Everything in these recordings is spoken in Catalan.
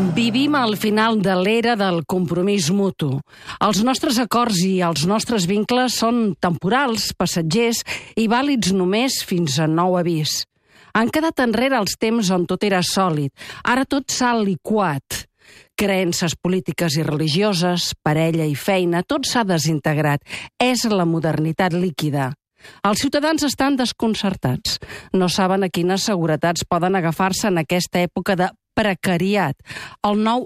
Vivim al final de l'era del compromís mutu. Els nostres acords i els nostres vincles són temporals, passatgers i vàlids només fins a nou avís. Han quedat enrere els temps on tot era sòlid. Ara tot s'ha liquat. Creences polítiques i religioses, parella i feina, tot s'ha desintegrat. És la modernitat líquida. Els ciutadans estan desconcertats. No saben a quines seguretats poden agafar-se en aquesta època de precariat, el nou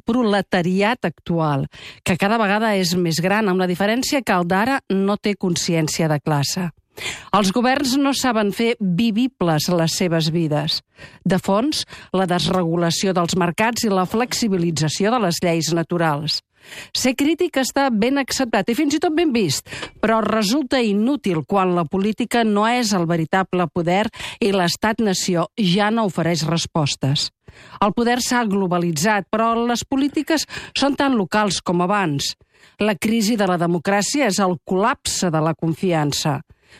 proletariat actual, que cada vegada és més gran, amb la diferència que el d'ara no té consciència de classe. Els governs no saben fer vivibles les seves vides. De fons, la desregulació dels mercats i la flexibilització de les lleis naturals. Ser crític està ben acceptat i fins i tot ben vist, però resulta inútil quan la política no és el veritable poder i l'estat-nació ja no ofereix respostes. El poder s'ha globalitzat, però les polítiques són tan locals com abans. La crisi de la democràcia és el col·lapse de la confiança.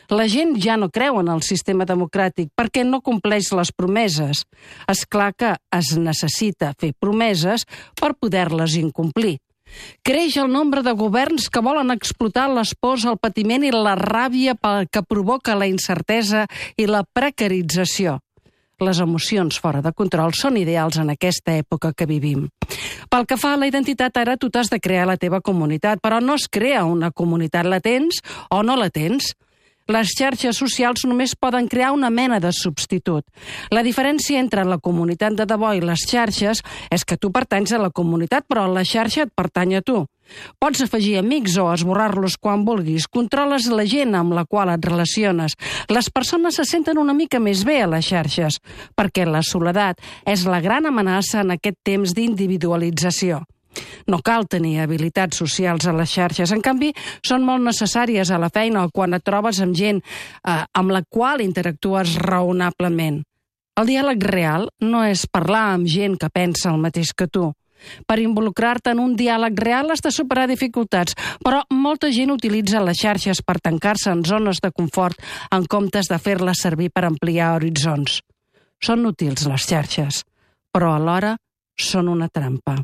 La gent ja no creu en el sistema democràtic perquè no compleix les promeses. És clar que es necessita fer promeses per poder-les incomplir. Creix el nombre de governs que volen explotar les pors, el patiment i la ràbia que provoca la incertesa i la precarització. Les emocions fora de control són ideals en aquesta època que vivim. Pel que fa a la identitat, ara tu t'has de crear la teva comunitat, però no es crea una comunitat, la tens o no la tens. Les xarxes socials només poden crear una mena de substitut. La diferència entre la comunitat de debò i les xarxes és que tu pertanys a la comunitat, però la xarxa et pertany a tu. Pots afegir amics o esborrar-los quan vulguis. Controles la gent amb la qual et relaciones. Les persones se senten una mica més bé a les xarxes, perquè la soledat és la gran amenaça en aquest temps d'individualització. No cal tenir habilitats socials a les xarxes. En canvi, són molt necessàries a la feina o quan et trobes amb gent amb la qual interactues raonablement. El diàleg real no és parlar amb gent que pensa el mateix que tu. Per involucrar-te en un diàleg real has de superar dificultats, però molta gent utilitza les xarxes per tancar-se en zones de confort en comptes de fer-les servir per ampliar horitzons. Són útils les xarxes, però alhora són una trampa.